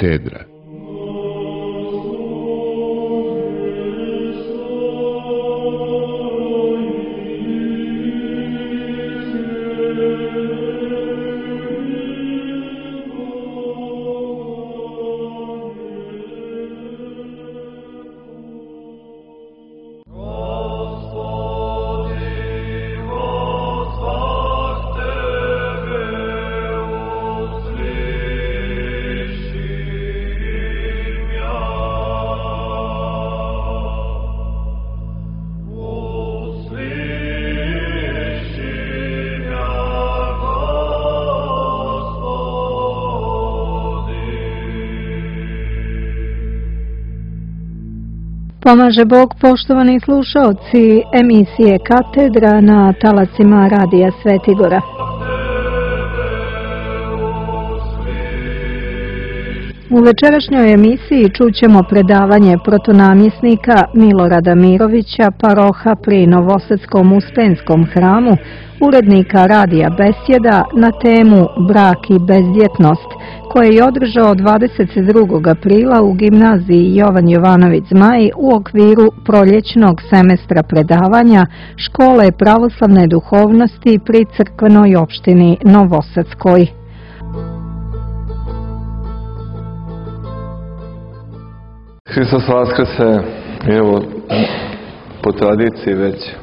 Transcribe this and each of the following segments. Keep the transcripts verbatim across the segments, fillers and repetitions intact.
Katedra. Pomaže Bog, poštovani slušaoci emisije Katedra na talacima Radija Svetigora. U večerašnjoj emisiji čućemo predavanje protonamjesnika Milorada Mirovića, paroha pri Novosadskom Uspenskom hramu, urednika Radija Besjeda na temu Brak i bezdjetnost, koje je održao dvadeset drugog aprila u gimnaziji Jovan Jovanović Zmaj u okviru proljećnog semestra predavanja Škole pravoslavne duhovnosti pri crkvenoj opštini Novosadskoj. Hristos vaskrse, evo, po tradiciji već e,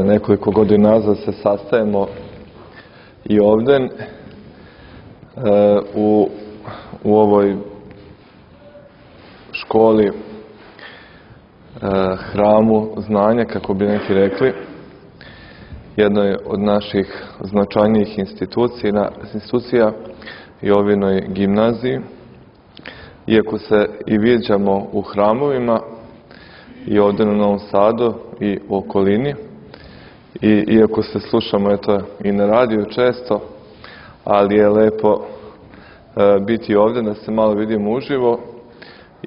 nekoliko godina nazad se sastajemo i ovdje e, u, u ovoj školi, e, hramu znanja, kako bi neki rekli, jednoj od naših značajnijih institucija, institucija i ovinoj gimnaziji. Iako se i viđamo u hramovima i ovdje na Novom Sadu i u okolini, i iako se slušamo eto, i na radiju često, ali je lepo e, biti ovdje da se malo vidimo uživo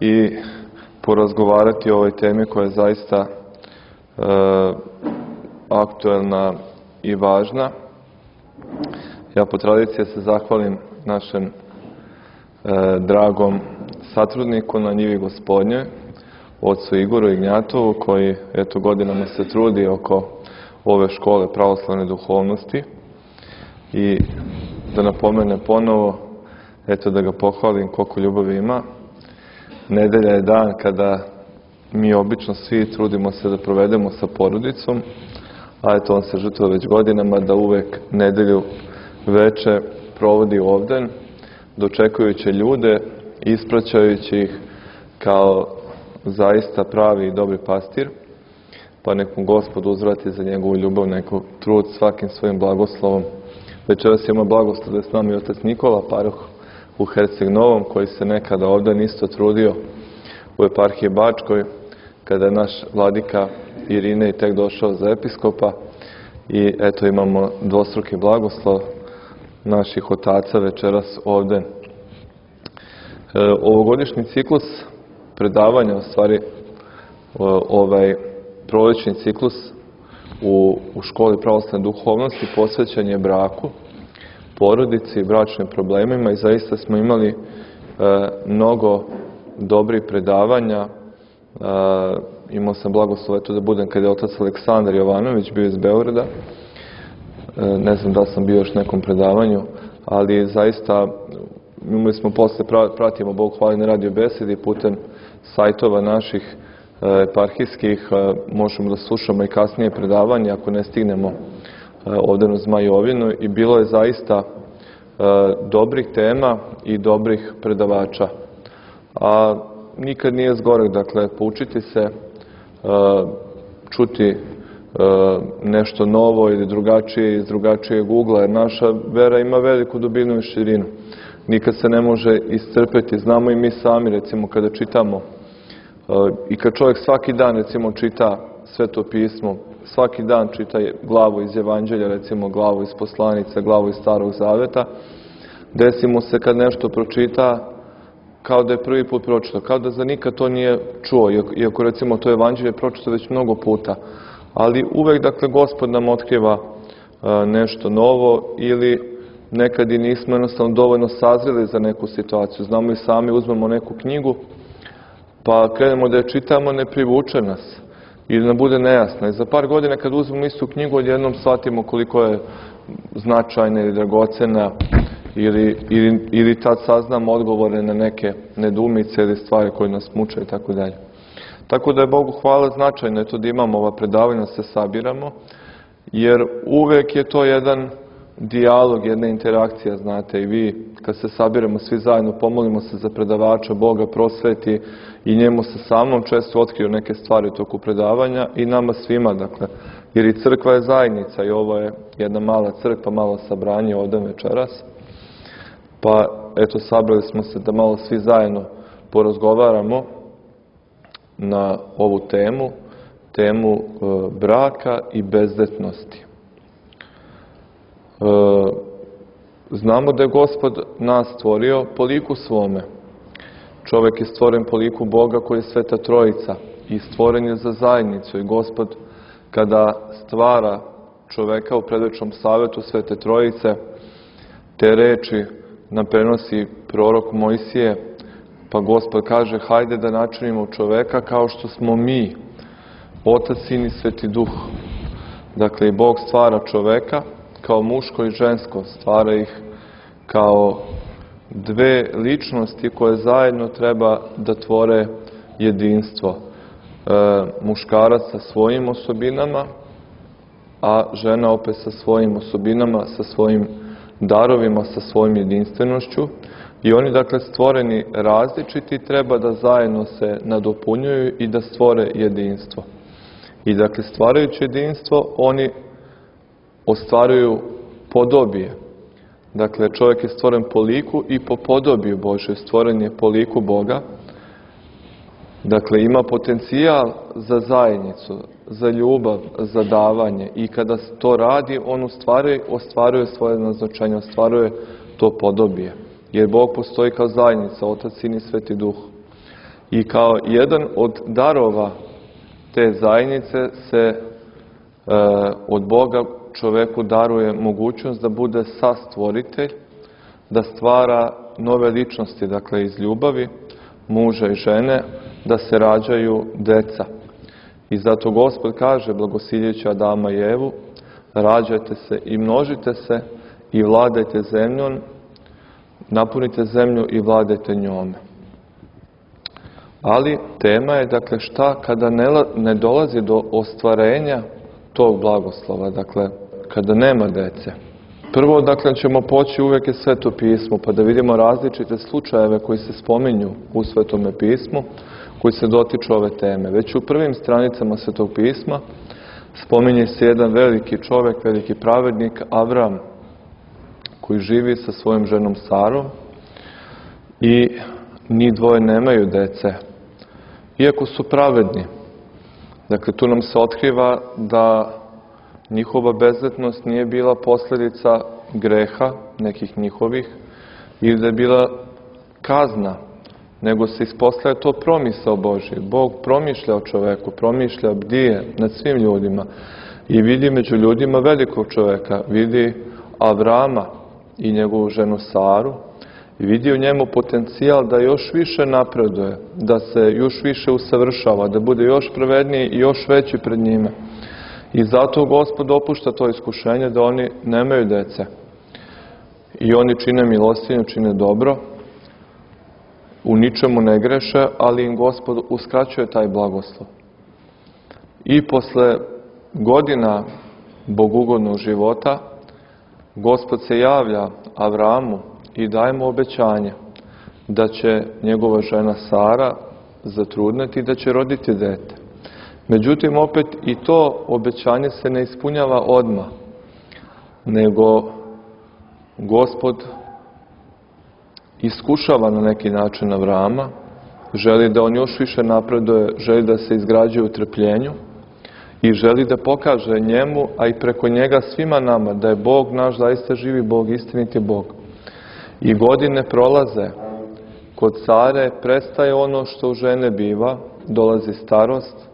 i porazgovarati o ovoj temi koja je zaista e, aktuelna i važna. Ja po tradiciji se zahvalim našem e, dragom satrudniku na njivi Gospodnje, ocu Igoru Ignjatovu, koji eto godinama se trudi oko ove škole pravoslavne duhovnosti, i da napomene ponovo, eto da ga pohvalim koliko ljubavi ima. Nedelja je dan kada mi obično svi trudimo se da provedemo sa porodicom, a eto on se žrtvuje već godinama da uvek nedelju veče provodi ovdje, dočekujući ljude, ispraćajući ih kao zaista pravi i dobri pastir, pa nek mu Gospod uzvrati za njegovu ljubav, neko trud svakim svojim blagoslovom. Večeras ima blagoslov da je s nama i otac Nikola, paroh u Herceg Novom, koji se nekada ovdje isto trudio u eparhiji Bačkoj, kada je naš vladika Irinej tek došao za episkopa, i eto imamo dvostruki blagoslov naših otaca večeras ovdje. E, ovogodišnji ciklus predavanja, u stvari ovaj prolećni ciklus u, u školi pravoslavne duhovnosti posvećen je braku, porodici i bračnim problemima, i zaista smo imali e, mnogo dobrih predavanja. E, imao sam blagoslov eto da budem kada je otac Aleksandar Jovanović bio iz Beograda. E, ne znam da sam bio još nekom predavanju, ali zaista imali smo posle, pratimo Bog hvali na Radio Besedi putem sajtova naših eparhijskih, možemo da slušamo i kasnije predavanje ako ne stignemo ovdje na Zmajovinu, i bilo je zaista dobrih tema i dobrih predavača. A nikad nije zgorek, dakle, poučiti se, čuti nešto novo ili drugačije iz drugačijeg ugla, jer naša vera ima veliku dubinu i širinu. Nikad se ne može iscrpeti. Znamo i mi sami, recimo, kada čitamo i kad čovjek svaki dan, recimo, čita Sveto pismo, svaki dan čita glavu iz Evanđelja, recimo glavu iz Poslanica, glavu iz Starog Zaveta, desi mu se kad nešto pročita kao da je prvi put pročitao, kao da za nikad to nije čuo, iako recimo to Evanđelje pročitao već mnogo puta. Ali uvek, dakle, Gospod nam otkriva nešto novo ili nekad i nismo jednostavno dovoljno sazreli za neku situaciju. Znamo i sami, uzmemo neku knjigu, pa krenemo da je čitamo, ne privuče nas ili nam bude nejasna. I za par godina kad uzmemo istu knjigu, odjednom shvatimo koliko je značajna ili dragocena ili, ili, ili tad saznamo odgovore na neke nedoumice ili stvari koje nas muče i tako dalje. Tako da je Bogu hvala značajno je to da imamo ova predavanja, se sabiramo, jer uvek je to jedan dijalog, jedna interakcija, znate, i vi kad se sabiramo svi zajedno, pomolimo se za predavača, Boga prosveti i njemu se samom često otkriju neke stvari u toku predavanja i nama svima, dakle, jer i crkva je zajednica i ovo je jedna mala crkva, malo sabranje ovdje večeras, pa eto, sabrali smo se da malo svi zajedno porazgovaramo na ovu temu, temu e, braka i bezdetnosti. E, znamo da je Gospod nas stvorio po liku svome. Čovjek je stvoren po liku Boga koji je Sveta Trojica i stvoren je za zajednicu. I Gospod kada stvara čovjeka u predvečnom savjetu Svete Trojice, te reči nam prenosi prorok Mojsije, pa Gospod kaže, hajde da načinimo čoveka kao što smo mi, Otac, Sin i Sveti Duh. Dakle, i Bog stvara čoveka kao muško i žensko, stvara ih kao dve ličnosti koje zajedno treba da tvore jedinstvo. E, muškarac sa svojim osobinama, a žena opet sa svojim osobinama, sa svojim darovima, sa svojim jedinstvenošću. I oni, dakle, stvoreni različiti, treba da zajedno se nadopunjuju i da stvore jedinstvo. I, dakle, stvarajući jedinstvo, oni ostvaruju podobije. Dakle, čovjek je stvoren po liku i po podobiju Božoj, stvoren je po liku Boga. Dakle, ima potencijal za zajednicu, za ljubav, za davanje. I kada to radi, on ostvaruje, ostvaruje svoje naznačenje, ostvaruje to podobije. Jer Bog postoji kao zajednica, Otac, Sin i Sveti Duh. I kao jedan od darova te zajednice se e, od Boga čoveku daruje mogućnost da bude sastvoritelj, da stvara nove ličnosti, dakle iz ljubavi, muža i žene, da se rađaju deca. I zato Gospod kaže, blagosiljeći Adama i Evu, rađajte se i množite se i vladajte zemljom, napunite zemlju i vladajte njome. Ali tema je, dakle, šta kada ne, ne dolazi do ostvarenja tog blagoslova, dakle, kada nema dece. Prvo, dakle, ćemo poći uvijek je Sveto pismo, pa da vidimo različite slučajeve koji se spominju u Svetome pismu, koji se dotiču ove teme. Već u prvim stranicama Svetog pisma spominje se jedan veliki čovjek, veliki pravednik, Avram, koji živi sa svojom ženom Sarom i ni dvoje nemaju dece, iako su pravedni. Dakle, tu nam se otkriva da njihova bezdetnost nije bila posljedica greha, nekih njihovih, ili da je bila kazna, nego se ispostavlja to promisao Božji. Bog promišlja o čoveku, promišlja, bdije nad svim ljudima i vidi među ljudima velikog čoveka, vidi Avrama i njegovu ženu Saru i vidi u njemu potencijal da još više napreduje, da se još više usavršava, da bude još pravedniji i još veći pred njime. I zato Gospod dopušta to iskušenje da oni nemaju dece. I oni čine milostinju, čine dobro, u ničemu ne greše, ali im Gospod uskraćuje taj blagoslov. I posle godina bogugodnog života, Gospod se javlja Avramu i daje mu obećanje da će njegova žena Sara zatrudneti i da će roditi dete. Međutim, opet i to obećanje se ne ispunjava odmah, nego Gospod iskušava na neki način Avrama, želi da on još više napreduje, želi da se izgrađuje u trpljenju i želi da pokaže njemu, a i preko njega svima nama, da je Bog naš zaista živi Bog, istiniti Bog. I godine prolaze, kod Sare prestaje ono što u žene biva, dolazi starost,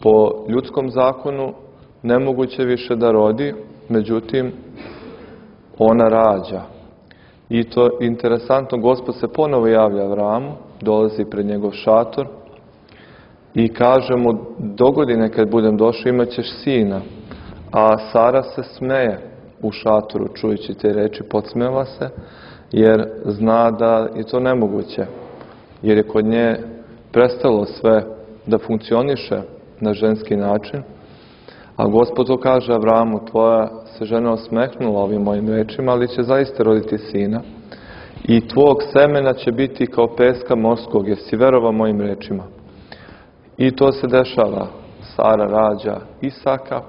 po ljudskom zakonu nemoguće više da rodi, međutim, ona rađa. I to interesantno, Gospod se ponovo javlja Avramu, dolazi pred njegov šator i kaže mu, dogodine kad budem došao imat ćeš sina. A Sara se smeje u šatoru, čujući te reči, podsmeva se, jer zna da je to nemoguće, jer je kod nje prestalo sve da funkcioniše na ženski način. A Gospod to kaže Avramu, tvoja se žena osmehnula ovim mojim rečima, ali će zaista roditi sina. I tvog semena će biti kao peska morskog, jer si verovao mojim rečima. I to se dešava. Sara rađa Isaka,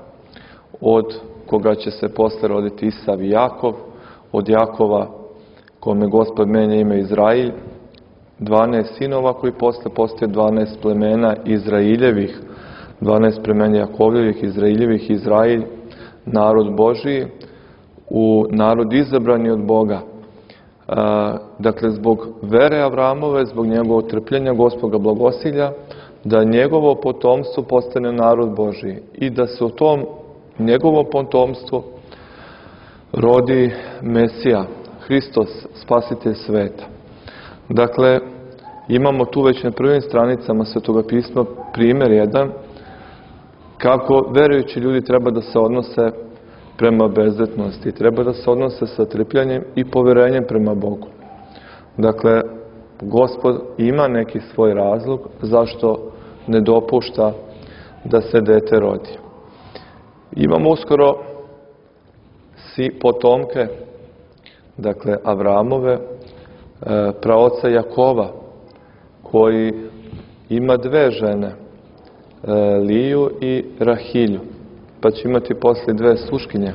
od koga će se posle roditi Isav i Jakov, od Jakova, kome Gospod menja ime Izrailj, dvanaest sinova koji posle postoje dvanaest plemena Izrailjevih, dvanaest plemena Jakovljevih, Izrailjevih, Izrailj, narod Božiji, u narod izabrani od Boga. E, dakle, zbog vere Avramove, zbog njegovog trpljenja, Gospod ga blagosilja, da njegovo potomstvo postane narod Božiji i da se u tom njegovom potomstvu rodi Mesija, Hristos, spasitelj sveta. Dakle, imamo tu već na prvim stranicama Svetoga pisma primjer jedan kako verujući ljudi treba da se odnose prema bezzetnosti, treba da se odnose sa trpljenjem i poverenjem prema Bogu. Dakle, Gospod ima neki svoj razlog zašto ne dopušta da se dete rodi. Imamo uskoro si potomke, dakle Avramove, praoca Jakova, koji ima dve žene, Liju i Rahilju, pa će imati poslije dve sluškinje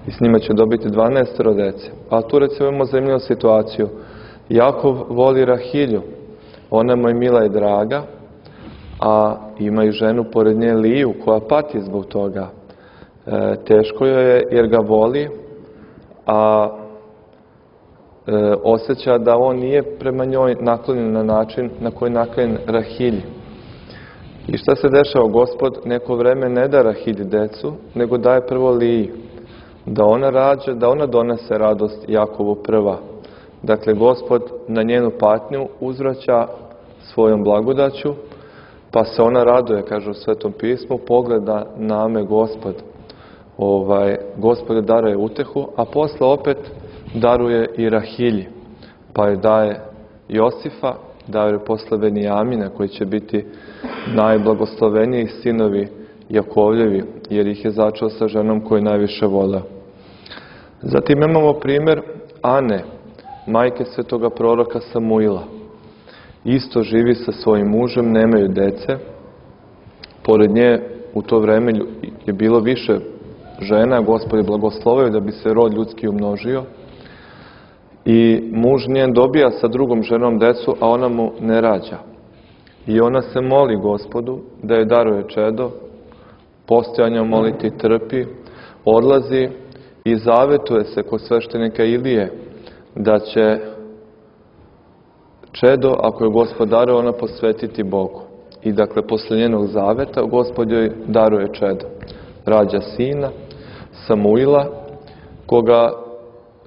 i s njima će dobiti dvanaest dece. A tu recimo imamo zanimljivu situaciju. Jakov voli Rahilju, ona mu je mila i draga, a ima i ženu pored nje Liju koja pati zbog toga. E, teško joj je jer ga voli, a e, osjeća da on nije prema njoj naklonjen na način na koji je naklonjen Rahilji. I šta se dešava? Gospod neko vreme ne da Rahilji decu, nego daje prvo Liji, da ona rađa, da ona donese radost Jakovu prva. Dakle, Gospod na njenu patnju uzvraća svojom blagodaću, pa se ona raduje, kaže u Svetom pismu, pogleda na me Gospod. Ovaj, Gospod daruje utehu, a posle opet daruje i Rahilji, pa joj daje Josifa, daje joj posle Benijamina, koji će biti najblagosloveniji sinovi Jakovljevi, jer ih je začeo sa ženom koju najviše voleo. Zatim imamo primjer Ane, majke svetoga proroka Samuila. Isto živi sa svojim mužem, nemaju dece. Pored nje u to vreme je bilo više žena, Gospod je blagoslovio da bi se rod ljudski umnožio. I muž njen dobija sa drugom ženom decu, a ona mu ne rađa. I ona se moli Gospodu da joj daruje čedo, postojanja moliti trpi, odlazi i zavetuje se kod sveštenika Ilije da će čedo, ako je Gospod daruje, ona posvetiti Bogu. I dakle, posle njenog zaveta, Gospod joj daruje čedo. Rađa sina, Samuila, koga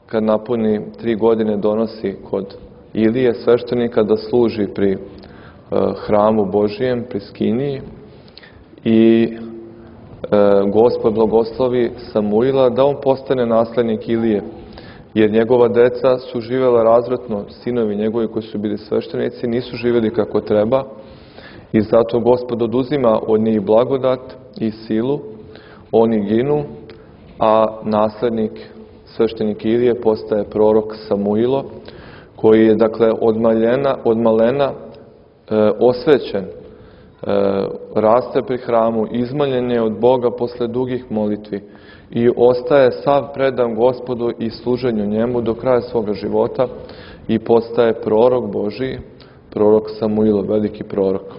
kad napuni tri godine donosi kod Ilije, sveštenika, da služi pri e, hramu Božijem, pri Skiniji. I e, Gospod blagoslovi Samuila da on postane naslednik Ilije, jer njegova deca su živjela razvratno, sinovi njegovi koji su bili sveštenici nisu živjeli kako treba i zato Gospod oduzima od njih blagodat i silu, oni ginu, a naslednik sveštenik Ilije postaje prorok Samuilo, koji je dakle od malena, od malena e, osvećen, e, raste pri hramu, izmaljen je od Boga posle dugih molitvi i ostaje sav predan Gospodu i služenju njemu do kraja svoga života i postaje prorok Božiji, prorok Samuilo, veliki prorok.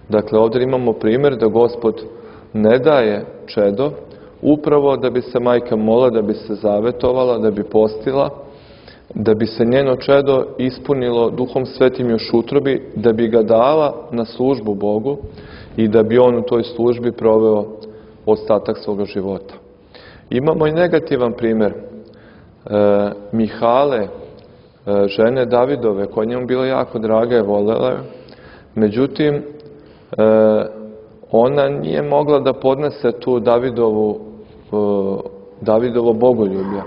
Dakle, ovdje imamo primjer da Gospod ne daje čedo, upravo da bi se majka molila, da bi se zavetovala, da bi postila, da bi se njeno čedo ispunilo Duhom Svetim još utrobi, da bi ga dala na službu Bogu i da bi on u toj službi proveo ostatak svoga života. Imamo i negativan primjer. Mihale, žene Davidove, koja njemu bila jako draga i volela. Međutim, ona nije mogla da podnese tu Davidovu, Davidovo bogoljublje.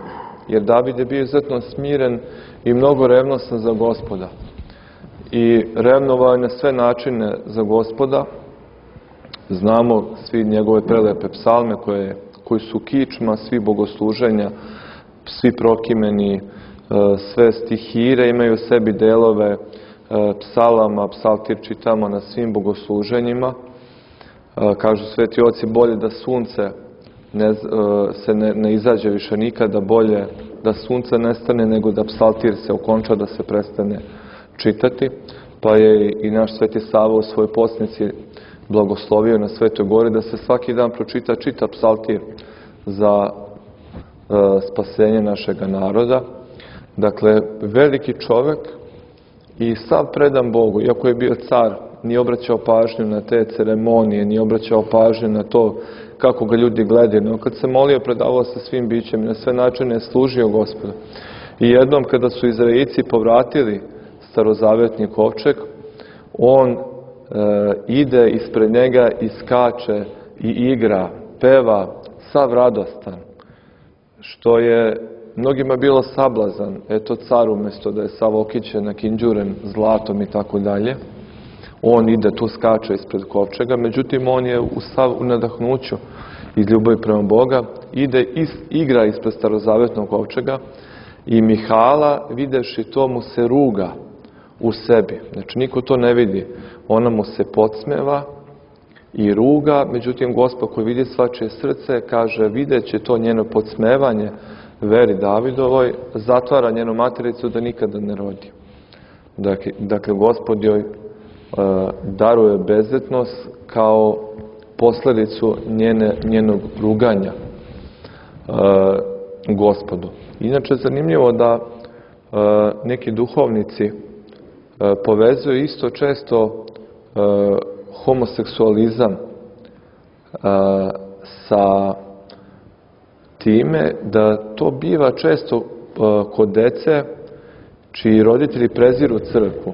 Jer David je bio izuzetno smiren i mnogo revnostan za Gospoda. I revnovao je na sve načine za Gospoda. Znamo svi njegove prelepe psalme koje, koji su kičma svi bogosluženja, svi prokimeni, sve stihire imaju u sebi delove psalama, psaltir čitamo na svim bogosluženjima. Kažu sveti oci, bolje da sunce ne, se ne, ne izađe više nikada, bolje da sunce nestane nego da psaltir se okonča, da se prestane čitati. Pa je i naš sveti Sava u svojoj posnici blagoslovio na Svetoj gori da se svaki dan pročita čita psaltir za e, spasenje našega naroda. Dakle, veliki čovek i sav predan Bogu, iako je bio car, nije obraćao pažnju na te ceremonije, nije obraćao pažnju na to kako ga ljudi gledaju, no kad se molio, predavao sa svim bićem i na sve načine je služio Gospodu. I jednom kada su Izraelci povratili starozavetni kovčeg, on e, ide ispred njega i skače i igra, peva, sav radostan, što je mnogima bilo sablazan. Eto, car umjesto da je sav okićen, nakinđuren zlatom i tako dalje, on ide tu, skače ispred kovčega, međutim on je u sav u nadahnuću iz ljubavi prema Boga, ide i igra ispred starozavetnog kovčega i Mihala, videvši to, mu se ruga u sebi. Znači, niko to ne vidi. Ona mu se podsmeva i ruga, međutim, Gospod koji vidi svačije srce, kaže, videći to njeno podsmevanje veri Davidovoj, zatvara njenu matericu da nikada ne rodi. Dakle, dakle Gospod joj daruje bezvetnost kao posledicu njene, njenog ruganja e, Gospodu. Inače, zanimljivo da e, neki duhovnici e, povezuju isto često e, homoseksualizam e, sa time da to biva često e, kod dece čiji roditelji preziru crkvu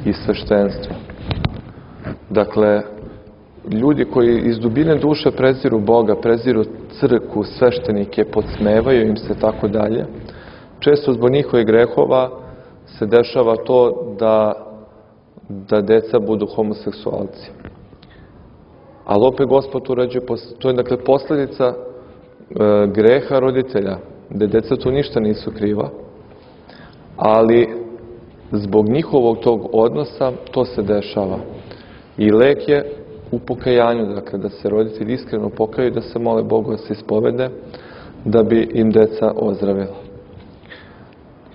i sveštenstvo. Dakle, ljudi koji iz dubine duše preziru Boga, preziru crkvu, sveštenike, podsmevaju im se tako dalje, često zbog njihovih grehova se dešava to da, da deca budu homoseksualci. Ali opet Gospod uređuje, to je dakle posljedica e, greha roditelja, da deca tu ništa nisu kriva, ali zbog njihovog tog odnosa to se dešava. I lek je u pokajanju, dakle, da se roditelji iskreno pokaju, da se mole Bogu da se ispovede, da bi im deca ozdravila.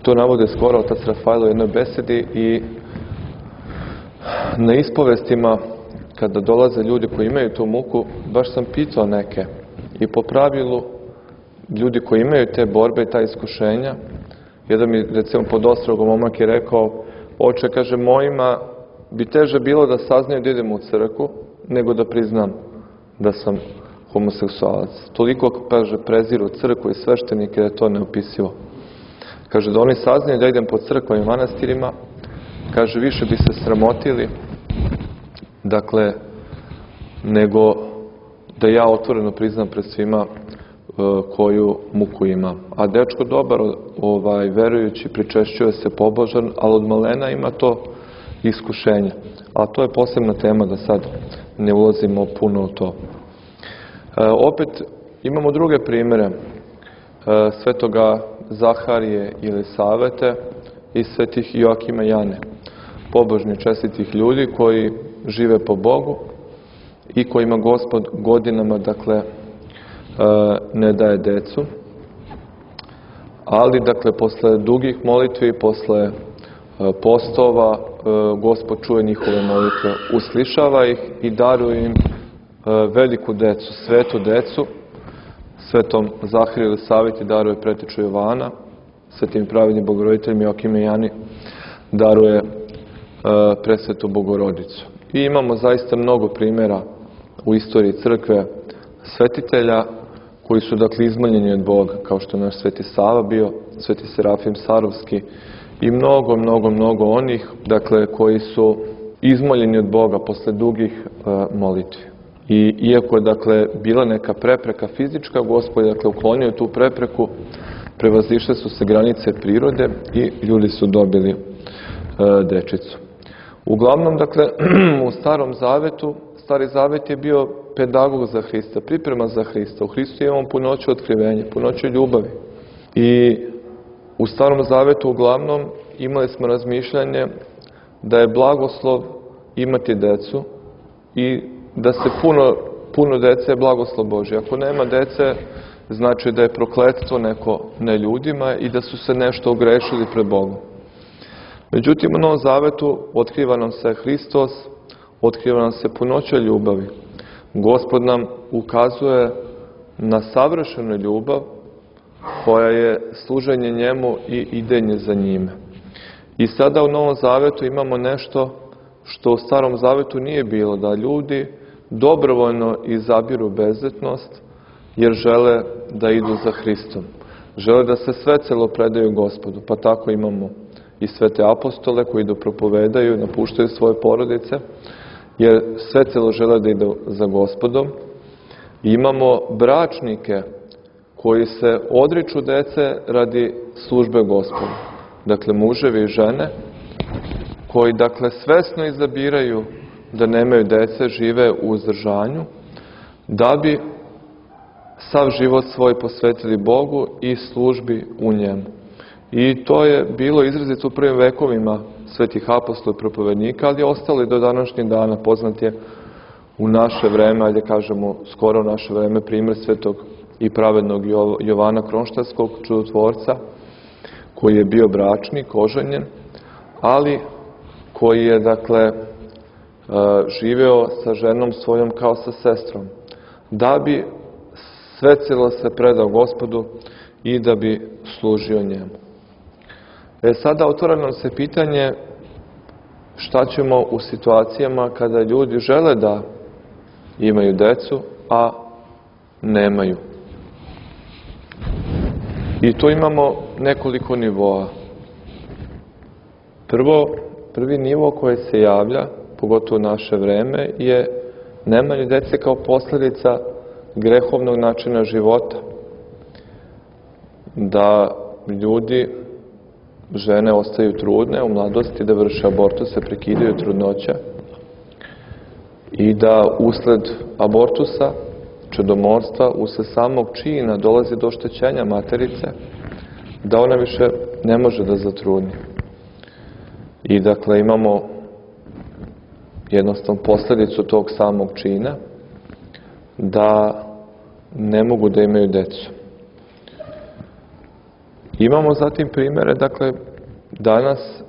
To navode skoro otac Rafael u jednoj besedi i na ispovestima, kada dolaze ljudi koji imaju tu muku, baš sam pitao neke. I po pravilu, ljudi koji imaju te borbe i ta iskušenja, jedan mi, recimo, pod Ostrogom momak je rekao, oče, kaže, mojima bi teže bilo da saznaju da idem u crkvu, nego da priznam da sam homoseksualac. Toliko, kaže, preziru crkvu i sveštenike da je to neopisivo. Kaže, da oni saznaju da idem po crkvama i manastirima, kaže, više bi se sramotili, dakle, nego da ja otvoreno priznam pred svima koju muku ima. A dečko dobar, ovaj, verujući, pričešćuje se pobožan, ali od malena ima to iskušenje. A to je posebna tema, da sad ne ulazimo puno u to. E, opet imamo druge primjere e, svetoga Zaharije ili Savete i svetih Joakima i Jane. Pobožni, čestitih ljudi koji žive po Bogu i kojima Gospod godinama, dakle, ne daje decu, ali, dakle, posle dugih molitvi, posle postova, Gospod čuje njihove molitve, uslišava ih i daruje im veliku decu, svetu decu. Svetom Zahariju ili Saveti daruje preteču Jovana, svetim pravednim Bogoroditeljima Joakim i Jani daruje presvetu Bogorodicu. I imamo zaista mnogo primjera u istoriji crkve svetitelja koji su dakle izmoljeni od Boga, kao što je naš Sveti Sava bio, Sveti Serafim Sarovski i mnogo, mnogo, mnogo onih, dakle, koji su izmoljeni od Boga posle dugih uh, molitvi. I iako je, dakle, bila neka prepreka fizička, Gospod je, dakle, uklonio tu prepreku, prevazišle su se granice prirode i ljudi su dobili uh, dečicu. Uglavnom, dakle, u Starom Zavetu, Stari Zavet je bio pedagog za Hrista, priprema za Hrista. U Hristu imamo punoću otkrivenja, punoću ljubavi. I u Starom Zavetu uglavnom imali smo razmišljanje da je blagoslov imati decu i da se puno, puno dece je blagoslov Božji. Ako nema dece, znači da je prokletstvo neko na ljudima i da su se nešto ogrešili pred Bogom. Međutim, u Novom Zavetu otkriva nam se Hristos, otkriva nam se punoća ljubavi. Gospod nam ukazuje na savršenu ljubav koja je služenje njemu i idenje za njime. I sada u Novom Zavetu imamo nešto što u Starom Zavetu nije bilo, da ljudi dobrovoljno izabiru bezzetnost jer žele da idu za Hristom. Žele da se svecelo predaju Gospodu, pa tako imamo i svete apostole koji idu propovedaju, napuštaju svoje porodice, jer svecelo žele da idu za Gospodom. I imamo bračnike koji se odriču dece radi službe Gospodu. Dakle, muževi i žene koji, dakle, svesno izabiraju da nemaju dece, žive u uzdržanju, da bi sav život svoj posvetili Bogu i službi u njemu. I to je bilo izrazito u prvim vekovima svetih apostola i propovednika, ali je ostalo i do današnjeg dana. Poznat je u naše vreme, ajde kažemo skoro u naše vreme, primjer svetog i pravednog Jovana Kronštatskog, čudotvorca, koji je bio bračnik, oženjen, ali koji je, dakle, živeo sa ženom svojom kao sa sestrom, da bi svecelo se predao Gospodu i da bi služio njemu. E sada otvara nam se pitanje šta ćemo u situacijama kada ljudi žele da imaju decu, a nemaju. I tu imamo nekoliko nivoa. Prvo, prvi nivo koji se javlja, pogotovo u naše vreme, je nemanje dece kao posljedica grehovnog načina života. Da ljudi, žene ostaju trudne u mladosti, da vrše abortuse, prekidaju trudnoće i da usled abortusa, čedomorstva, usled samog čina dolazi do oštećenja materice, da ona više ne može da zatrudni. I dakle imamo jednostavno posljedicu tog samog čina da ne mogu da imaju decu. Imamo zatim primjere, dakle, danas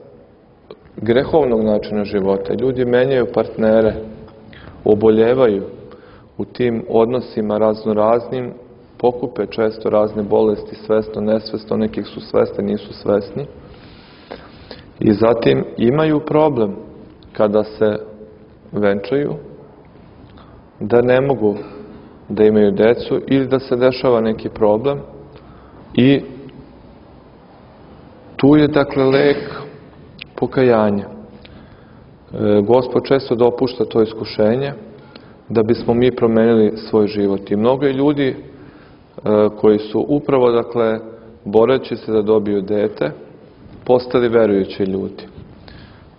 grehovnog načina života. Ljudi menjaju partnere, oboljevaju u tim odnosima raznoraznim, pokupe često razne bolesti, svesno, nesvesno, nekih su svesni, nisu svesni. I zatim imaju problem kada se venčaju, da ne mogu da imaju decu ili da se dešava neki problem i tu je, dakle, lek pokajanja. E, Gospod često dopušta to iskušenje da bismo mi promenili svoj život. I mnogo je ljudi e, koji su upravo, dakle, boreći se da dobiju dete, postali verujući ljudi.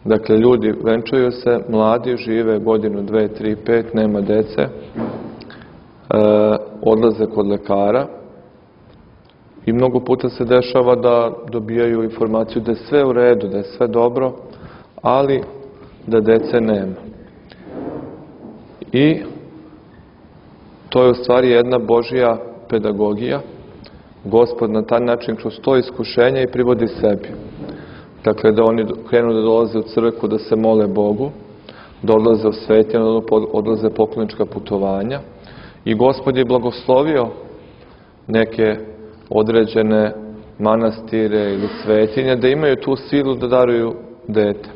Dakle, ljudi venčaju se, mladi, žive godinu, dve, tri, pet, nema dece, e, odlaze kod lekara i mnogo puta se dešava da dobijaju informaciju da je sve u redu, da je sve dobro, ali da dece nema. I to je u stvari jedna Božja pedagogija. Gospod na taj način kroz to iskušenje i privodi sebi. Dakle, da oni krenu da dolaze u crkvu, da se mole Bogu, da odlaze u svetine, da odlaze poklonička putovanja. I Gospod je blagoslovio neke određene manastire ili svetinje da imaju tu silu da daruju dete.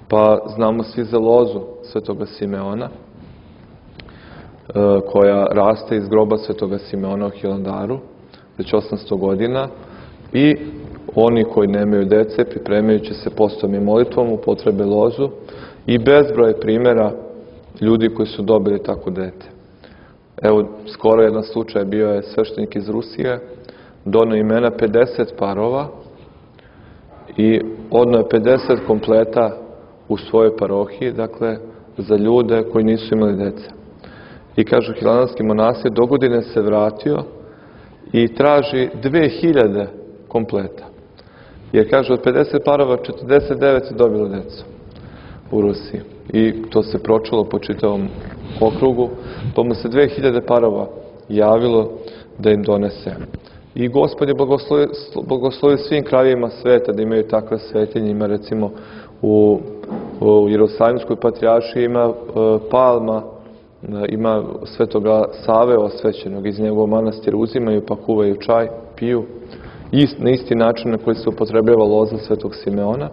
Pa znamo svi za lozu svetoga Simeona, koja raste iz groba Svetoga Simeona u Hilandaru, već osamsto godina, i oni koji nemaju dece, pripremajući se postom i molitvom, upotrebe lozu, i bezbroj primjera ljudi koji su dobili tako dete. Evo, skoro jedan slučaj bio je sveštenik iz Rusije, donio imena pedeset parova i odneo je pedeset kompleta u svojoj parohiji, dakle, za ljude koji nisu imali dece. I kažu, hilandarski monasir dogodine se vratio i traži dve hiljade kompleta. Jer, kaže, od pedeset parova četrdeset devet je dobilo decu u Rusiji. I to se pročulo po čitavom okrugu, pa mu se dve hiljade parova javilo da im donese. I Gospod je blagoslovio, blagoslovio svim krajevima sveta da imaju takve svetinje. Ima, recimo, u, u Jerusalimskoj patrijaršiji ima uh, palma, ima Svetoga Save osvećenog, iz njegovog manastira uzimaju, pa kuvaju čaj, piju, Ist, na isti način na koji se upotrebljava loza Svetog Simeona,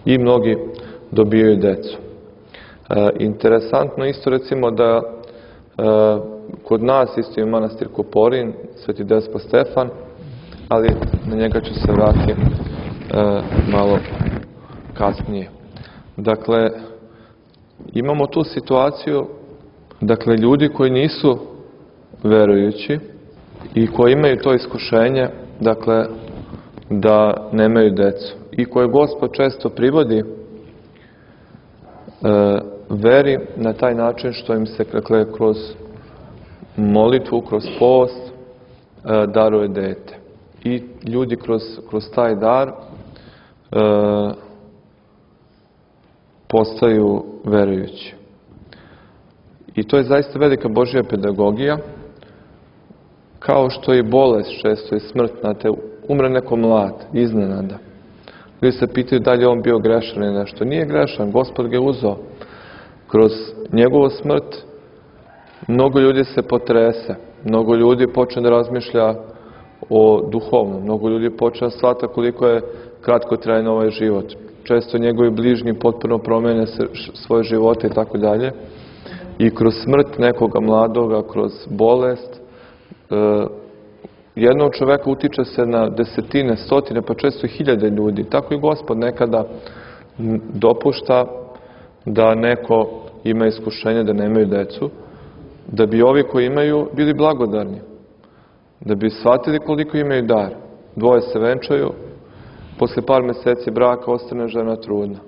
i mnogi dobijaju decu. E, interesantno isto, recimo, da e, kod nas isto je manastir Koporin, Sveti Despot Stefan, ali na njega ću se vratiti e, malo kasnije. Dakle, imamo tu situaciju, dakle, ljudi koji nisu verujući i koji imaju to iskušenje, dakle, da nemaju decu, i koje Gospod često privodi e, veri na taj način što im se, dakle, kroz molitvu, kroz post e, daruje dete. I ljudi kroz, kroz taj dar e, postaju verujući. I to je zaista velika Božja pedagogija, kao što i bolest često i smrt, znate, umre neko mlad, iznenada. Ljudi se pitaju da li je on bio grešan ili nešto. Nije grešan, Gospod ga je uzeo. Kroz njegovu smrt mnogo ljudi se potrese, mnogo ljudi počne da razmišlja o duhovnom, mnogo ljudi počne da shvata koliko je kratko trajan ovaj život. Često njegovi bližnji potpuno promene svoje živote i tako dalje. I kroz smrt nekoga mladoga, kroz bolest, e, jednog čoveka utiče se na desetine, stotine, pa često i hiljade ljudi. Tako i Gospod nekada dopušta da neko ima iskušenje da nemaju decu, da bi ovi koji imaju bili blagodarni, da bi shvatili koliko imaju dar. Dvoje se venčaju, posle par meseci braka ostane žena trudna.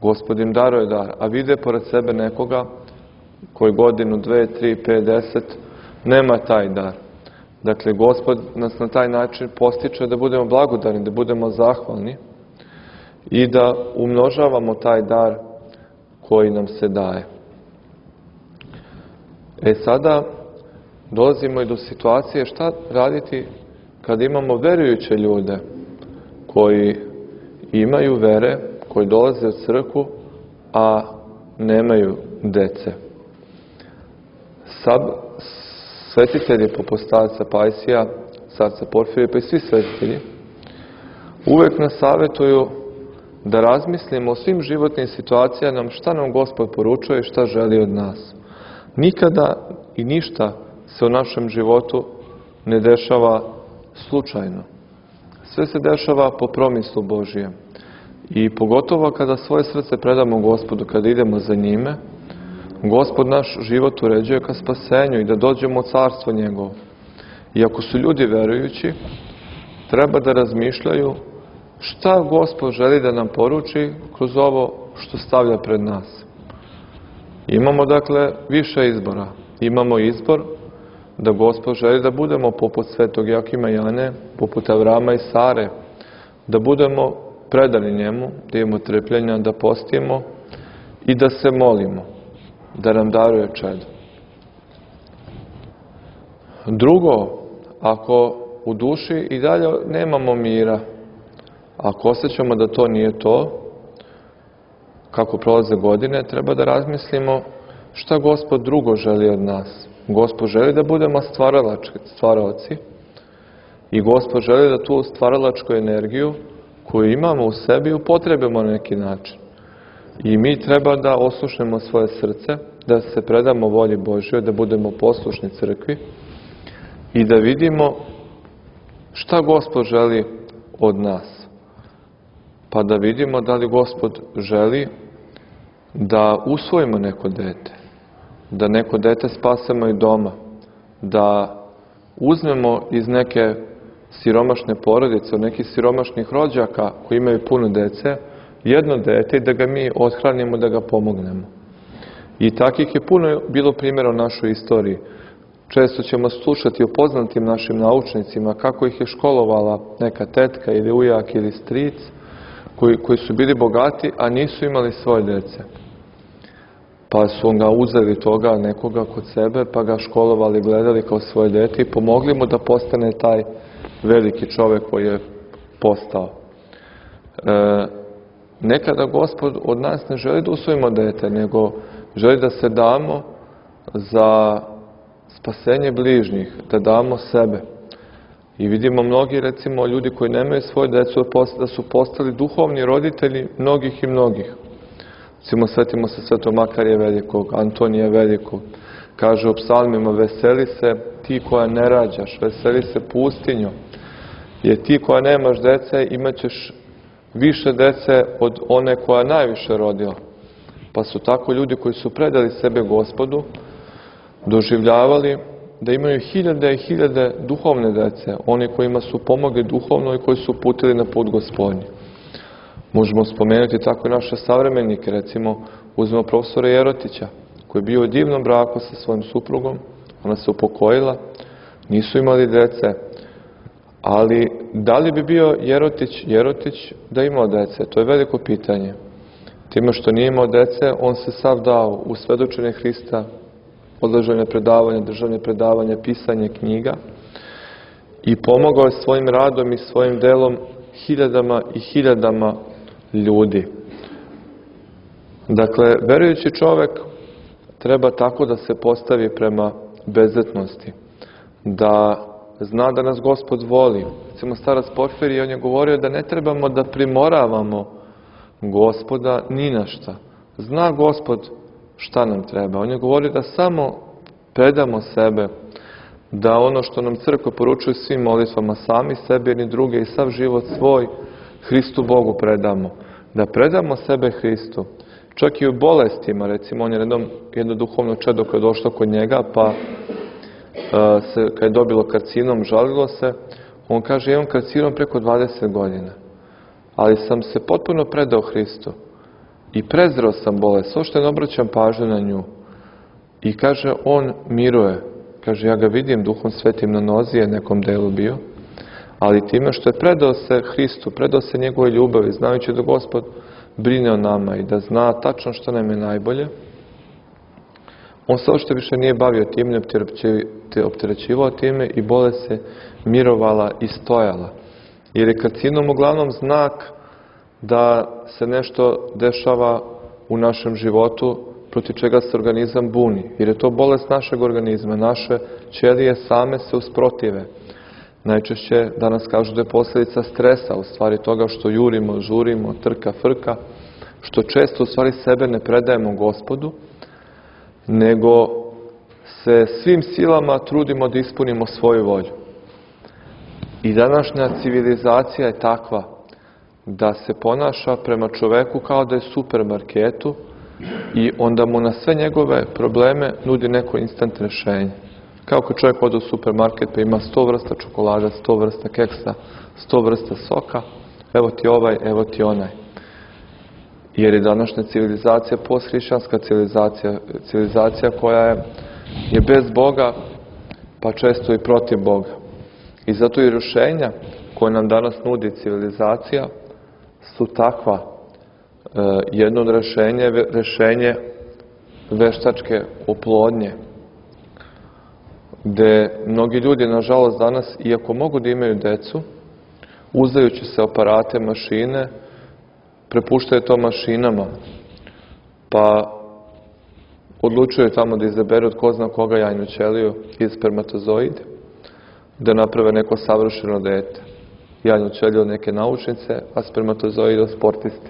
Gospod im daruje dar, a vide pored sebe nekoga koji godinu, dve, tri, pet, deset nema taj dar. Dakle, Gospod nas na taj način postiče da budemo blagodarni, da budemo zahvalni i da umnožavamo taj dar koji nam se daje. E sada dolazimo i do situacije šta raditi kad imamo verujuće ljude koji imaju vere, koji dolaze u crkvu, a nemaju dece. Sab, svetitelji poput starca Pajsija, starca Porfirija, pa i svi svetitelji, uvek nas savjetuju da razmislimo o svim životnim situacijama, šta nam Gospod poručuje i šta želi od nas. Nikada i ništa se u našem životu ne dešava slučajno. Sve se dešava po promislu Božijem. I pogotovo kada svoje srce predamo Gospodu, kada idemo za njime, Gospod naš život uređuje ka spasenju i da dođemo u carstvo njegovo. I ako su ljudi verujući, treba da razmišljaju šta Gospod želi da nam poruči kroz ovo što stavlja pred nas. Imamo, dakle, više izbora. Imamo izbor da Gospod želi da budemo poput svetog Jakima i Jane, poput Avrama i Sare, da budemo predani njemu, da imamo trpljenja, da postimo i da se molimo, da nam daruje čedo. Drugo, ako u duši i dalje nemamo mira, ako osjećamo da to nije to, kako prolaze godine, treba da razmislimo šta Gospod drugo želi od nas. Gospod želi da budemo stvaralaci i Gospod želi da tu stvaralačku energiju koju imamo u sebi upotrebimo na neki način. I mi treba da oslušnemo svoje srce da se predamo volji Božjoj, da budemo poslušni crkvi i da vidimo šta Gospod želi od nas. Pa da vidimo da li Gospod želi da usvojimo neko dete, da neko dete spasemo i doma, da uzmemo iz neke siromašne porodice, od nekih siromašnih rođaka koji imaju puno dece, jedno dete i da ga mi othranimo, da ga pomognemo. I takih je puno bilo primjera u našoj istoriji. Često ćemo slušati o poznatim našim naučnicima kako ih je školovala neka tetka ili ujak ili stric koji, koji su bili bogati, a nisu imali svoje dece. Pa su ga uzeli toga nekoga kod sebe, pa ga školovali, gledali kao svoje dete i pomogli mu da postane taj veliki čovjek koji je postao. E, nekada Gospod od nas ne želi da usvojimo dete, nego želi da se damo za spasenje bližnjih, da damo sebe. I vidimo mnogi, recimo, ljudi koji nemaju svoje decu, da su postali duhovni roditelji mnogih i mnogih. Recimo, svetimo se Svetog Makarija Velikog, Antonija Velikog. Kaže u psalmima, veseli se ti koja ne rađaš, veseli se pustinjo, jer ti koja nemaš dece, imat ćeš više dece od one koja najviše rodila. Pa su tako ljudi koji su predali sebe Gospodu, doživljavali da imaju hiljade i hiljade duhovne dece, oni kojima su pomogli duhovno i koji su uputili na put Gospodnji. Možemo spomenuti tako i naše savremenike, recimo uzmemo profesora Jerotića, koji je bio u divnom braku sa svojim suprugom, ona se upokojila, nisu imali dece, ali da li bi bio Jerotić Jerotić da imao dece? To je veliko pitanje. Time što nije imao dece, on se sav dao u svedočenje Hrista, održavanje predavanja, državanje predavanja, pisanje knjiga i pomogao je svojim radom i svojim delom hiljadama i hiljadama ljudi. Dakle, verujući čovjek treba tako da se postavi prema bezetnosti, da zna da nas Gospod voli. Recimo, starac Porfirije, on je govorio da ne trebamo da primoravamo Gospoda ni na šta. Zna Gospod šta nam treba. On je govorio da samo predamo sebe, da ono što nam crkva poručuje svim molitvama, sami sebi ni druge i sav život svoj Hristu Bogu predamo. Da predamo sebe Hristu. Čak i u bolestima, recimo, on je jednom, jedno duhovno čedo koje je došlo kod njega, pa uh, se, kad je dobilo karcinom, žalilo se, on kaže, imam karcinom preko dvadeset godina, ali sam se potpuno predao Hristu i prezreo sam bolest, što ne obraćam pažnju na nju. I kaže, on miruje. Kaže, ja ga vidim Duhom Svetim na nozi, je nekom delu bio, ali time što je predao se Hristu, predao se njegove ljubavi, znajući da Gospod brine o nama i da zna tačno što nam je najbolje, on se uopšte više nije bavio tim, ne opterećivao time i bolest se mirovala i stojala. Jer je karcinom uglavnom znak da se nešto dešava u našem životu protiv čega se organizam buni. Jer je to bolest našeg organizma. Naše ćelije same se usprotive. Najčešće danas kažu da je posljedica stresa, u stvari toga što jurimo, žurimo, trka, frka, što često u stvari sebe ne predajemo Gospodu, nego se svim silama trudimo da ispunimo svoju volju. I današnja civilizacija je takva da se ponaša prema čoveku kao da je supermarketu i onda mu na sve njegove probleme nudi neko instant rješenje. Kao kad čovjek ode u supermarket pa ima sto vrsta čokolada, sto vrsta keksa, sto vrsta soka, evo ti ovaj, evo ti onaj. Jer je današnja civilizacija posthrišćanska civilizacija, civilizacija koja je, je bez Boga, pa često i protiv Boga. I zato i rješenja koje nam danas nudi civilizacija su takva. E, jedno od rješenja je rješenje veštačke oplodnje, gde mnogi ljudi, nažalost, danas, iako mogu da imaju decu, uzajući se aparate, mašine, prepuštaju to mašinama, pa odlučuju tamo da izaberu od ko zna koga jajnu ćeliju i spermatozoid, da naprave neko savršeno dete. Jajnu ćeliju od neke naučnice, a spermatozoid od sportiste,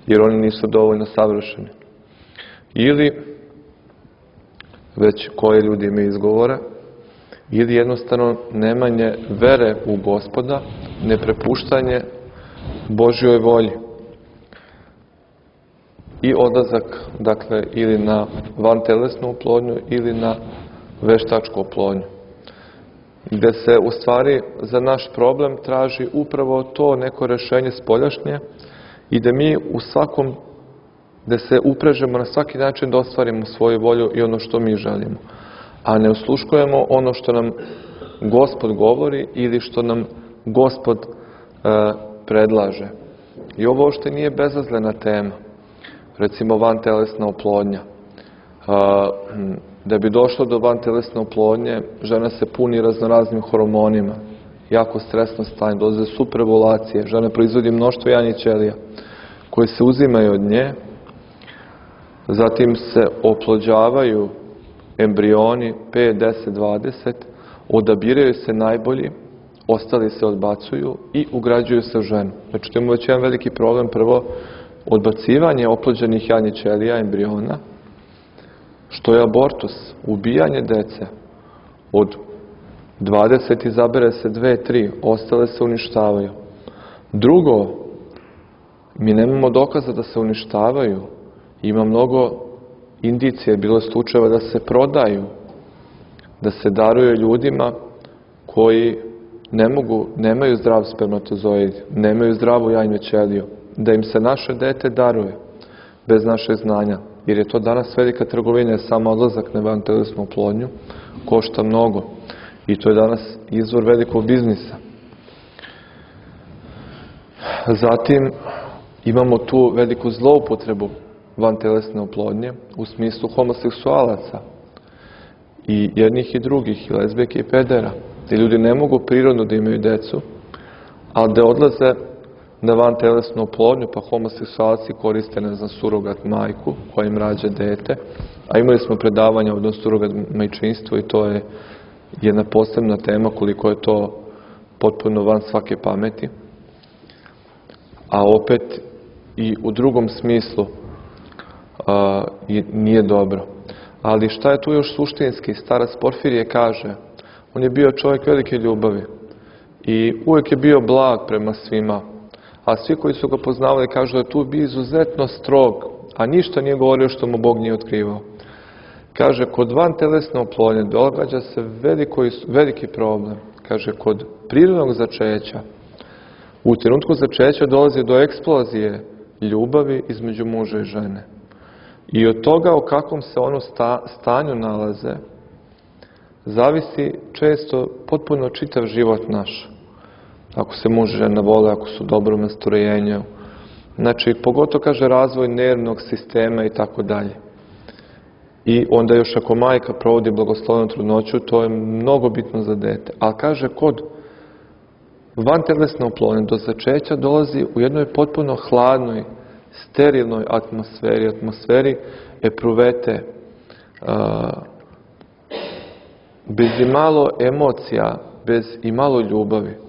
jer oni nisu dovoljno savršeni. Ili već koje ljudi imaju izgovore, ili jednostavno nemanje vere u Gospoda, neprepuštanje Božjoj volji i odlazak, dakle, ili na vantelesnu oplodnju ili na veštačku oplodnju, gde se u stvari za naš problem traži upravo to neko rešenje spoljašnje i da mi u svakom, da se uprežemo na svaki način da ostvarimo svoju volju i ono što mi želimo, a ne osluškujemo ono što nam Gospod govori ili što nam Gospod e, predlaže. I ovo uopšte nije bezazlena tema. Recimo vantelesna oplodnja. E, da bi došlo do vantelesne oplodnje, žena se puni raznoraznim hormonima, jako stresno stanje, dolaze superovulacije, žena proizvodi mnoštvo jajnih ćelija koje se uzimaju od nje, zatim se oplođavaju embrioni pet, deset, dvadeset, odabiraju se najbolji, ostali se odbacuju i ugrađuju se u ženu. Znači, to imamo već jedan veliki problem. Prvo, odbacivanje oplođenih jajnih ćelija, embriona, što je abortus, ubijanje dece. Od dvadeset izabere se dve, tri, ostale se uništavaju. Drugo, mi nemamo dokaza da se uništavaju. Ima mnogo indicije, bilo slučajeva da se prodaju, da se daruju ljudima koji ne mogu, nemaju zdrav spermatozoid, nemaju zdravu jajnu ćeliju, da im se naše dete daruje bez našeg znanja, jer je to danas velika trgovina, samo odlazak na vantelesnu oplodnju košta mnogo i to je danas izvor velikog biznisa. Zatim imamo tu veliku zloupotrebu vantelesne oplodnje u smislu homoseksualaca i jednih i drugih, i lezbijke i pedera. Ti ljudi ne mogu prirodno da imaju decu, ali da odlaze na vantelesnu oplodnju, pa homoseksualci koriste, ne znam, surogat majku koja im rađa dete, a imali smo predavanja o surogat majčinstvu i to je jedna posebna tema koliko je to potpuno van svake pameti. A opet i u drugom smislu a, nije dobro. Ali šta je tu još suštinski? Starac Porfirije kaže, on je bio čovjek velike ljubavi i uvijek je bio blag prema svima, a svi koji su ga poznavali kažu da je tu bio izuzetno strog, a ništa nije govorio što mu Bog nije otkrivao. Kaže, kod vantelesne oplodnje događa se veliko, veliki problem. Kaže, kod prirodnog začeća, u trenutku začeća dolazi do eksplozije ljubavi između muža i žene. I od toga o kakvom se ono sta, stanju nalaze, zavisi često potpuno čitav život naš. Ako se muž i žena vole, ako su u dobrom nastrojenju. Znači, pogotovo, kaže, razvoj nervnog sistema i tako dalje. I onda još ako majka provodi blagoslovenu trudnoću, to je mnogo bitno za dete. Ali kaže, kod vantelesne oplodnje do začeća dolazi u jednoj potpuno hladnoj, sterilnoj atmosferi, atmosferi epruvete, a, bez imalo emocija, bez imalo ljubavi.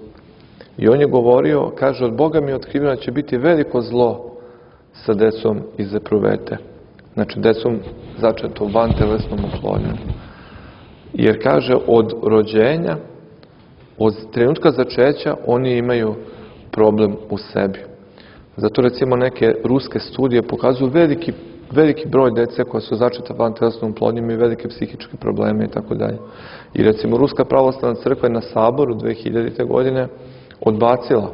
I on je govorio, kaže, od Boga mi je otkriveno da će biti veliko zlo sa decom iz epruvete. Znači, decom začeto vantelesnom oplodnjom. Jer, kaže, od rođenja, od trenutka začeća, oni imaju problem u sebi. Zato, recimo, neke ruske studije pokazuju veliki, veliki broj dece koja su začeta vantelesnom oplodnjom i velike psihičke probleme i tako dalje. I, recimo, Ruska pravoslavna crkva je na saboru dve hiljadite. godine odbacila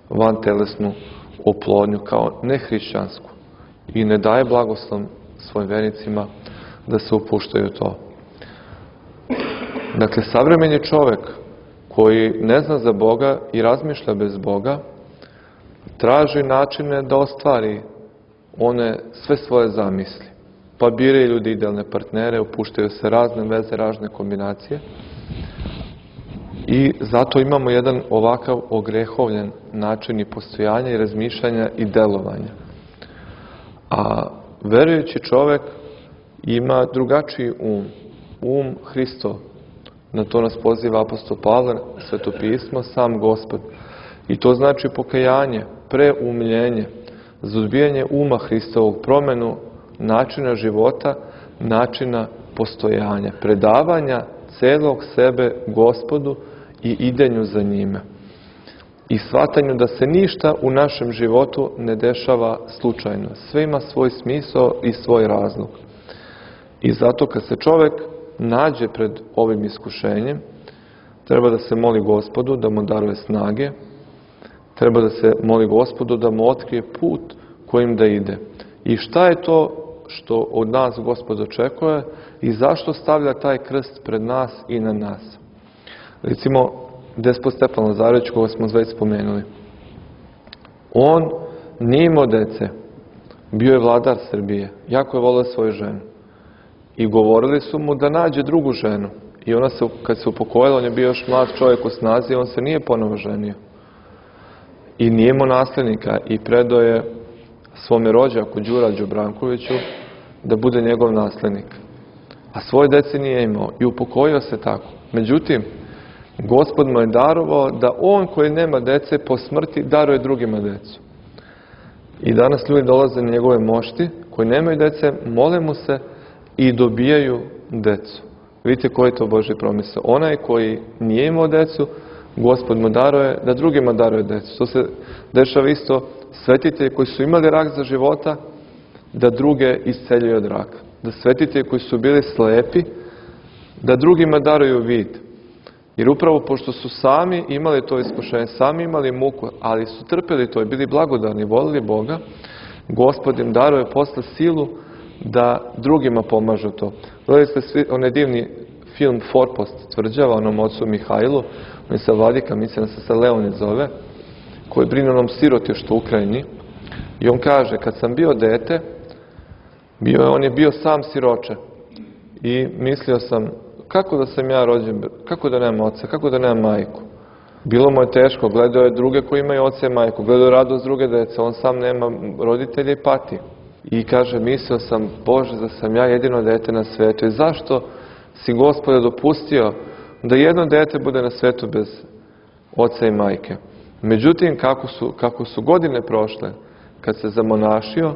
vantelesnu oplodnju kao nehrišćansku i ne daje blagoslov svojim vernicima da se upuštaju u to. Dakle, savremeni čovjek koji ne zna za Boga i razmišlja bez Boga, traži načine da ostvari one sve svoje zamisli. Pa biraju ljudi idealne partnere, upuštaju se razne veze, razne kombinacije. I zato imamo jedan ovakav ogrehovljen način i postojanja i razmišljanja i delovanja. A verujući čovjek ima drugačiji um, um Hristov. Na to nas poziva apostol Pavle, Sveto pismo, sam Gospod. I to znači pokajanje, preumljenje, za odbijanje uma Hristovog, promjenu načina života, načina postojanja, predavanja celog sebe Gospodu i idenju za njime. I shvatanju da se ništa u našem životu ne dešava slučajno. Sve ima svoj smisao i svoj razlog. I zato kad se čovjek nađe pred ovim iskušenjem, treba da se moli Gospodu da mu daruje snage, treba da se moli Gospodu da mu otkrije put kojim da ide. I šta je to što od nas Gospod očekuje i zašto stavlja taj krst pred nas i na nas. Recimo, despot Stefan Lazarević, koga smo već spomenuli. On nije imao dece, bio je vladar Srbije, jako je volio svoju ženu. I govorili su mu da nađe drugu ženu. I ona se, kad se upokojila, on je bio još mlad čovjek u snazi, on se nije ponovo ženio. I nije imao naslednika i predao je svome rođaku Đura Đubrankoviću da bude njegov naslednik. A svoje dece nije imao i upokojio se tako. Međutim, Gospod mu je darovao da on koji nema dece po smrti daruje drugima decu. I danas ljudi dolaze na njegove mošti koji nemaju dece, mole mu se i dobijaju decu. Vidite koji je to Božji promisao. Onaj koji nije imao decu, Gospod mu daruje da drugima daruje decu. To se dešava isto svetitelji koji su imali rak za života, da druge isceljuju od raka. Da svetitelji koji su bili slepi, da drugima daruju vid. Jer upravo pošto su sami imali to iskušenje, sami imali muku, ali su trpeli to i bili blagodarni, volili Boga, Gospod im daruje posle silu da drugima pomažu to. Gledali ste svi onaj divni film Forpost tvrđava onom ocu Mihajlu, on je sa vladika, mislim da se sa Leonid zove, koji brine onom sirotištu u Ukrajini. I on kaže, kad sam bio dete, bio je, on je bio sam siroče. I mislio sam, kako da sam ja rođen, kako da nemam oca, kako da nemam majku. Bilo mu je teško, gledao je druge koji imaju oca i majku, gledao je radost druge dece, on sam nema roditelje i pati. I kaže, mislio sam, Bože, da sam ja jedino dete na svetu. I zašto si, Gospode, dopustio da jedno dete bude na svetu bez oca i majke? Međutim, kako su, kako su godine prošle, kad se zamonašio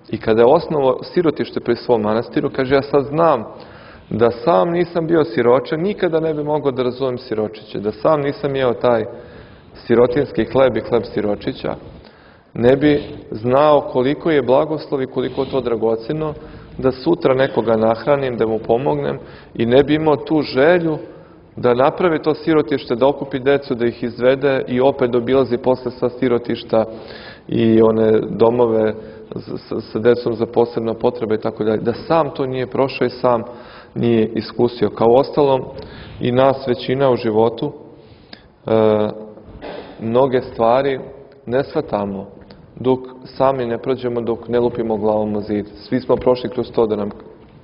i kada je osnovao sirotište pri svom manastiru, kaže, ja sad znam da sam nisam bio siroče, nikada ne bi mogao da razumem siročiće, da sam nisam jeo taj sirotinski hleb i hleb siročića, ne bi znao koliko je blagoslov i koliko je to dragoceno, da sutra nekoga nahranim, da mu pomognem i ne bi imao tu želju da napravi to sirotište, da okupi decu, da ih izvede i opet obilazi posle sva sirotišta i one domove sa decom za posebna potreba i tako dalje. Da sam to nije prošao i sam nije iskusio. Kao ostalom i nas većina u životu e, mnoge stvari ne shvatamo dok sami ne prođemo, dok ne lupimo glavom o zid. Svi smo prošli kroz to da nam,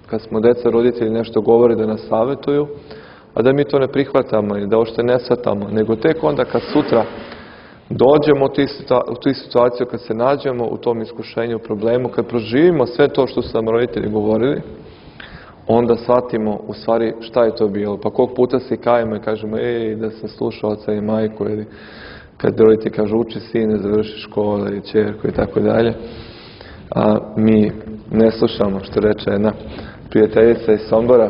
kad smo deca, roditelji nešto govori, da nas savjetuju, a da mi to ne prihvatamo i da ošte ne shvatamo, nego tek onda kad sutra dođemo u tu situaciju, kad se nađemo u tom iskušenju, problemu, kad proživimo sve to što su nam roditelji govorili, onda shvatimo u stvari šta je to bilo. Pa koliko puta se kajemo i kažemo, ej, da sam slušao oca i majku, ili kad roditelji kažu, uči sine, završi školu ili ćerku i tako dalje. A mi ne slušamo, što reče jedna prijateljica iz Sombora.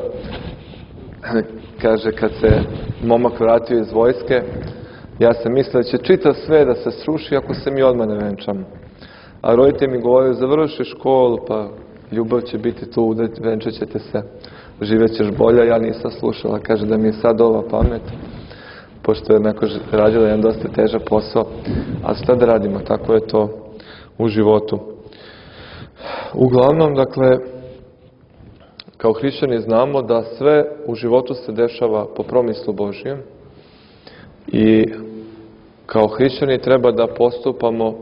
Kaže, kad se momak vratio iz vojske, ja sam mislio da će čitav sve da se sruši ako se mi odmah ne venčamo. A roditelji mi govorili, završi školu, pa ljubav će biti tu, venčat ćete se, živjet ćeš bolje. Ja nisam slušala, kaže da mi je sad ova pamet, pošto je onako radila jedan dosta težak posao. A šta da radimo, tako je to u životu. Uglavnom, dakle, kao hrišćani znamo da sve u životu se dešava po promislu Božijem i kao hrišćani treba da postupamo e,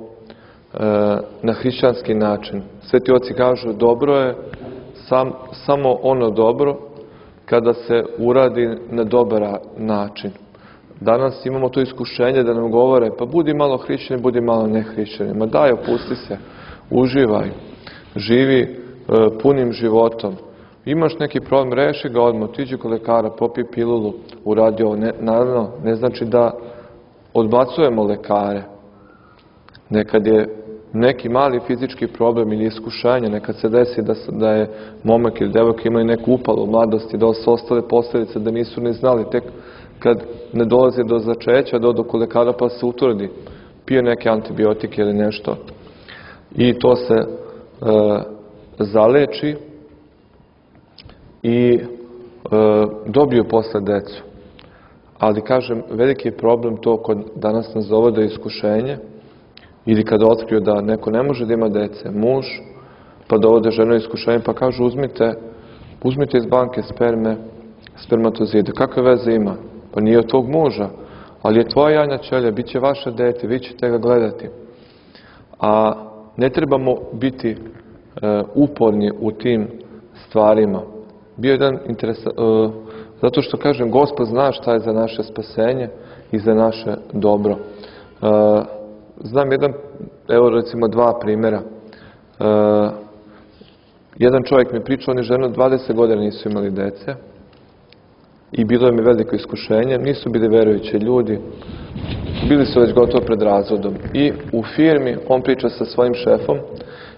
na hrišćanski način. Sveti oci kažu, dobro je sam, samo ono dobro kada se uradi na dobar način. Danas imamo to iskušenje da nam govore, pa budi malo hrišćani, budi malo nehrišćani. Ma daj, opusti se, uživaj, živi e, punim životom. Imaš neki problem, reši ga odmah, otiđi kod lekara, popij pilulu, uradi ovo. Ne, naravno, ne znači da odbacujemo lekare. Nekad je neki mali fizički problem ili iskušenje, nekad se desi da, da je momak ili devojka imali neku upalu u mladosti, da su ostale posljedice, da nisu ni znali, tek kad ne dolazi do začeća, dođu kod lekara pa se utvrdi, pije neke antibiotike ili nešto i to se e, zaleči i e, dobiju posle decu. Ali, kažem, veliki je problem to kod danas nas dovode iskušenje ili kada otkriju da neko ne može da ima dece, muž, pa dovode ženu iskušenje, pa kažu uzmite, uzmite iz banke sperme, spermatozide. Kakve veze ima? Pa nije od tog muža, ali je tvoja jajna ćelija, bit će vaše dete, vi ćete ga gledati. A ne trebamo biti e, uporni u tim stvarima. Bio jedan interesan, e, zato što, kažem, Gospod zna šta je za naše spasenje i za naše dobro. E, znam jedan, evo recimo dva primjera. E, jedan čovjek mi pričao, oni ženu dvadeset godina nisu imali dece i bilo je mi veliko iskušenje, nisu bili verujući ljudi, bili su već gotovo pred razvodom. I u firmi on priča sa svojim šefom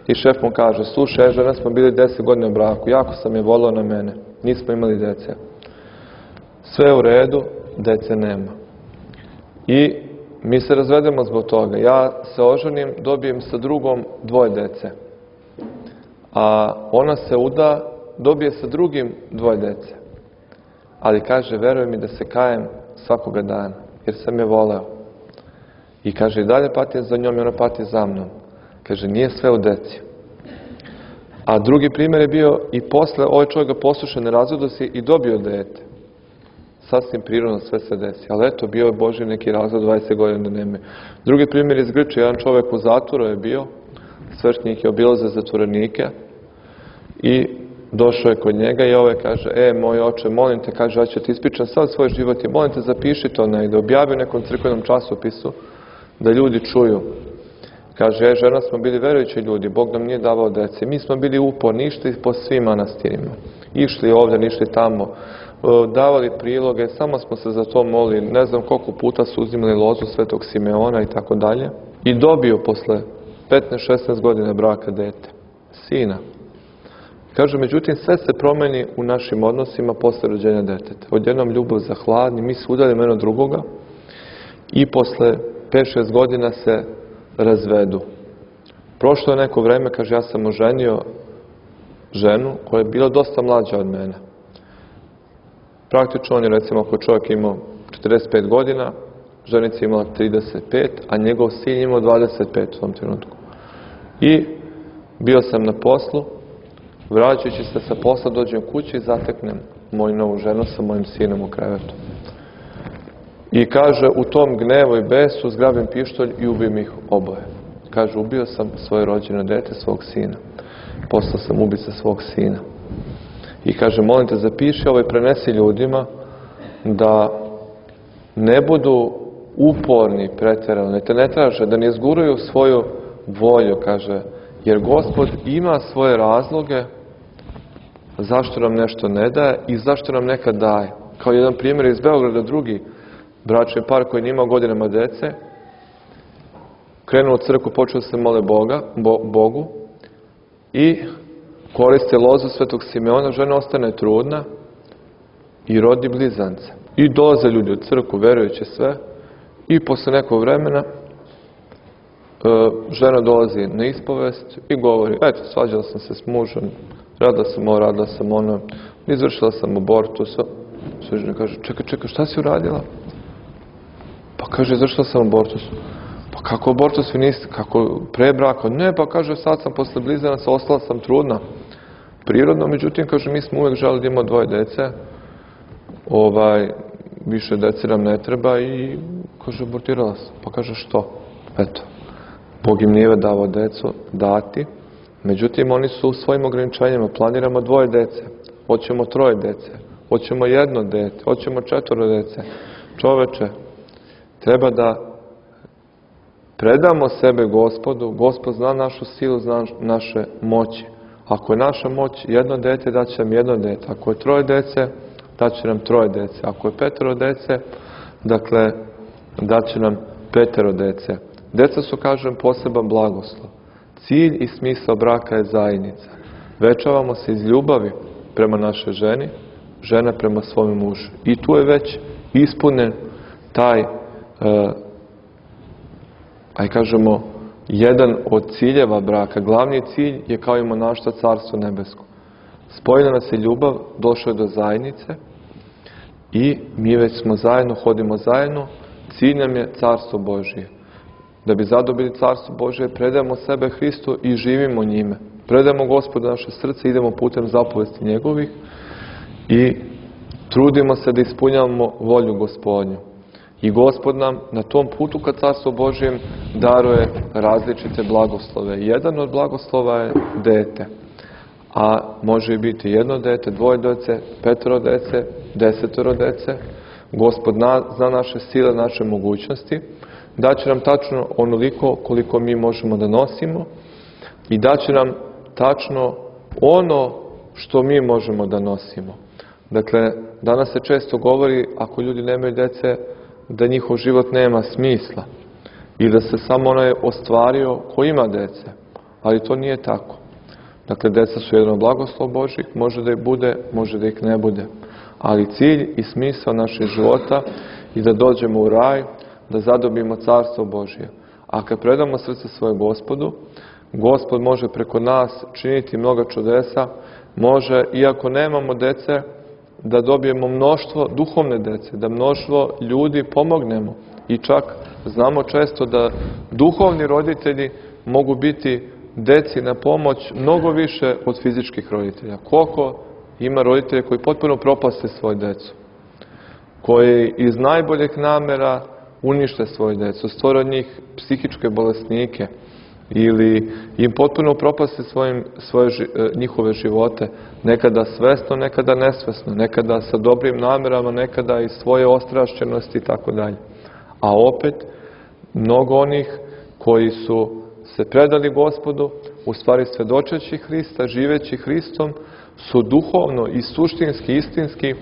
i šef mu kaže, slušaj, žena smo bili deset godina u braku, jako sam je volao na mene, nismo imali dece. Sve je u redu, dece nema. I mi se razvedemo zbog toga. Ja se oženim, dobijem sa drugom dvoje dece. A ona se uda, dobije sa drugim dvoje dece. Ali kaže, veruj mi da se kajem svakoga dana, jer sam je voleo. I kaže, i dalje patim za njom i ona pati za mnom. Kaže, nije sve u deci. A drugi primjer je bio i posle, ovaj čovjek ga posluša, ne razvodio se i dobio dete. Sasvim prirodno sve se desi. Ali eto, bio je Božji neki razvod, dvadeset godina da nema. Drugi primjer iz Grčke, jedan čovjek u zatvoru je bio, svećenik je obilaze zatvorenike i došao je kod njega i ovaj kaže, e, moj oče, molim te, kaže, ja ću ti ispričam sad svoj život i molim te, zapiši to negdje, objavi u nekom crkvenom časopisu da ljudi čuju. Kaže, e, žena smo bili verujući ljudi, Bog nam nije davao dece. Mi smo bili uporni, išli po svim manastirima. Išli ovdje, išli tamo, davali priloge, samo smo se za to molili, ne znam koliko puta su uzimali lozu Svetog Simeona i tako dalje. I dobio posle petnaest šesnaest godina braka dete, sina. Kaže, međutim, sve se promeni u našim odnosima posle rođenja deteta. Odjednom ljubav za hladni, mi se udaljimo jedno drugoga i posle pet šest godina se razvedu. Prošlo je neko vreme, kaže, ja sam oženio ženu koja je bila dosta mlađa od mene. Praktično on je, recimo, ako čovjek imao četrdeset pet godina, ženica je imala trideset pet, a njegov sin imao dvadeset pet u tom trenutku. I bio sam na poslu, vraćajući se sa posla, dođem kući i zateknem moju novu ženu sa mojim sinom u krevetu. I kaže, u tom gnevu i besu zgrabim pištolj i ubijem ih oboje. Kaže, ubio sam svoje rođeno dete, svog sina. Postao sam ubica svog sina. I kaže, molim te, zapiši ovo i prenesi ljudima da ne budu uporni pretjerano, ne te ne traže, da ne izguraju svoju volju, kaže, jer Gospod ima svoje razloge zašto nam nešto ne daje i zašto nam nekad daje. Kao jedan primjer iz Beograda, drugi bračni par koji nije imao godinama dece, krenuo u crkvu, počeo se mole Boga, Bo, Bogu i koriste lozu Svetog Simeona, žena ostane trudna i rodi blizance. I dolaze ljudi u crkvu, verujući sve, i posle nekog vremena žena dolazi na ispovest i govori, eto, svađala sam se s mužem, radila sam ovo, radila sam ono, izvršila sam abortus. Svećenik kaže, čekaj, čekaj, šta si uradila? Pa kaže, izvršila sam abortus. Pa kako abortus vi niste, kako pre braka? Ne, pa kaže, sad sam posle blizanaca, ostala sam trudna. Prirodno, međutim, kaže, mi smo uvijek želeli da imamo dvoje dece, ovaj, više dece nam ne treba i, kaže, abortirala sam. Pa kaže, što? Eto, Bog im nije davao decu dati, međutim, oni su u svojim ograničenjima, planiramo dvoje dece, hoćemo troje dece, hoćemo jedno dete, hoćemo četvoro dece. Čoveče, treba da predamo sebe Gospodu, Gospod zna našu silu, zna naše moći. Ako je naša moć jedno dete, daće nam jedno dete. Ako je troje dece, daće nam troje dece. Ako je petero dece, dakle, daće nam petero dece. Deca su, kažem, poseban blagoslov. Cilj i smisao braka je zajednica. Venčavamo se iz ljubavi prema našoj ženi, žena prema svome mužu. I tu je već ispunjen taj, e, aj kažemo, jedan od ciljeva braka. Glavni cilj je kao i monaštva Carstvo nebesko. Spojila nas je ljubav, došlo je do zajednice i mi već smo zajedno, hodimo zajedno. Cilj nam je Carstvo Božije. Da bi zadobili Carstvo Božije, predajemo sebe Hristu i živimo njime. Predajemo Gospodu naše srce, idemo putem zapovesti njegovih i trudimo se da ispunjavamo volju Gospodnju. I Gospod nam na tom putu ka Carstvu Božijem daruje različite blagoslove. Jedan od blagoslova je dete. A može i biti jedno dete, dvoje dece, petoro dece, desetoro dece. Gospod zna naše sile, naše mogućnosti. Daće nam tačno onoliko koliko mi možemo da nosimo i daće nam tačno ono što mi možemo da nosimo. Dakle, danas se često govori, ako ljudi nemaju dece, da njihov život nema smisla i da se samo onaj ostvario ko ima dece. Ali to nije tako. Dakle, deca su jedan od blagoslova Božih, može da ih bude, može da ih ne bude. Ali cilj i smisao našeg života je da dođemo u raj, da zadobimo Carstvo Božje. A kad predamo srce svoje Gospodu, Gospod može preko nas činiti mnoga čudesa, može, iako nemamo dece, da dobijemo mnoštvo duhovne dece, da mnoštvo ljudi pomognemo. I čak znamo često da duhovni roditelji mogu biti deci na pomoć mnogo više od fizičkih roditelja. Koliko ima roditelja koji potpuno propaste svoju decu, koji iz najboljeg namera unište svoju decu, stvore od njih psihičke bolesnike ili im potpuno propaste svojim, svoje, njihove živote, nekada svesno, nekada nesvesno, nekada sa dobrim namerama, nekada i svoje ostrašćenosti i tako dalje. A opet, mnogo onih koji su se predali Gospodu, u stvari svedočeći Hrista, živeći Hristom, su duhovno i suštinski, istinski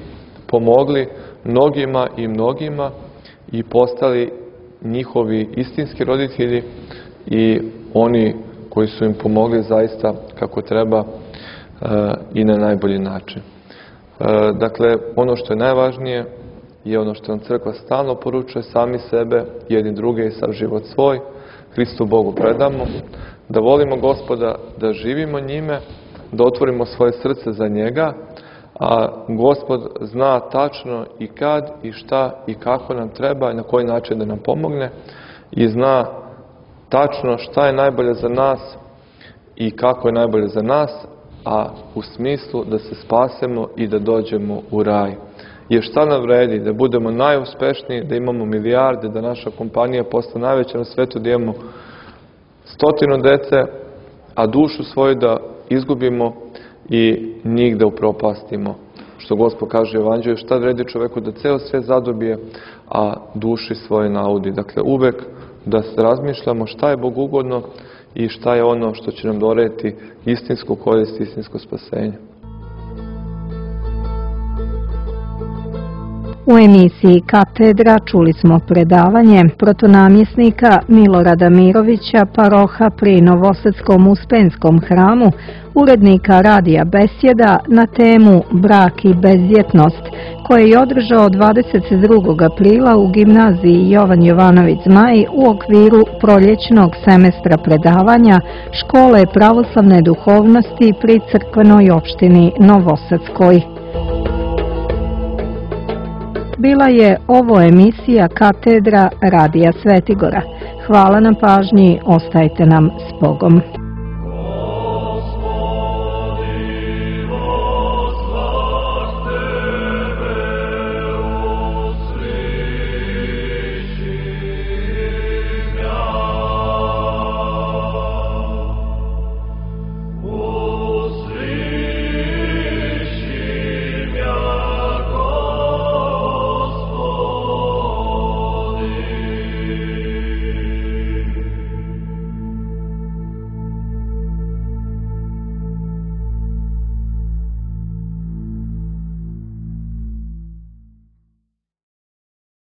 pomogli mnogima i mnogima i postali njihovi istinski roditelji i oni koji su im pomogli zaista kako treba e, i na najbolji način. E, dakle, ono što je najvažnije je ono što nam crkva stalno poručuje, sami sebe, jedni druge i sav život svoj, Hristu Bogu predamo, da volimo Gospoda, da živimo njime, da otvorimo svoje srce za njega, a Gospod zna tačno i kad i šta i kako nam treba i na koji način da nam pomogne i zna tačno šta je najbolje za nas i kako je najbolje za nas, a u smislu da se spasemo i da dođemo u raj. Jer šta nam vredi? Da budemo najuspešniji, da imamo milijarde, da naša kompanija postane najveća na svetu, da imamo stotinu dece, a dušu svoju da izgubimo i njih da upropastimo. Što Gospod kaže u Evanđelju, šta vredi čoveku da ceo svet zadobije, a duši svoje naudi. Dakle, uvek da se razmišljamo šta je Bogu ugodno i šta je ono što će nam doneti istinsku korist, istinsko spasenje. U emisiji Katedra čuli smo predavanje protonamjesnika Milorada Mirovića, paroha pri Novosadskom Uspenskom hramu, urednika radija Besjeda na temu Brak i bezdjetnost, koje je održao dvadeset drugog aprila u gimnaziji Jovan Jovanović Zmaj u okviru proljećnog semestra predavanja Škole pravoslavne duhovnosti pri crkvenoj opštini Novosadskoj. Bila je ovo emisija Katedra radija Svetigora. Hvala na pažnji, ostajte nam s Bogom.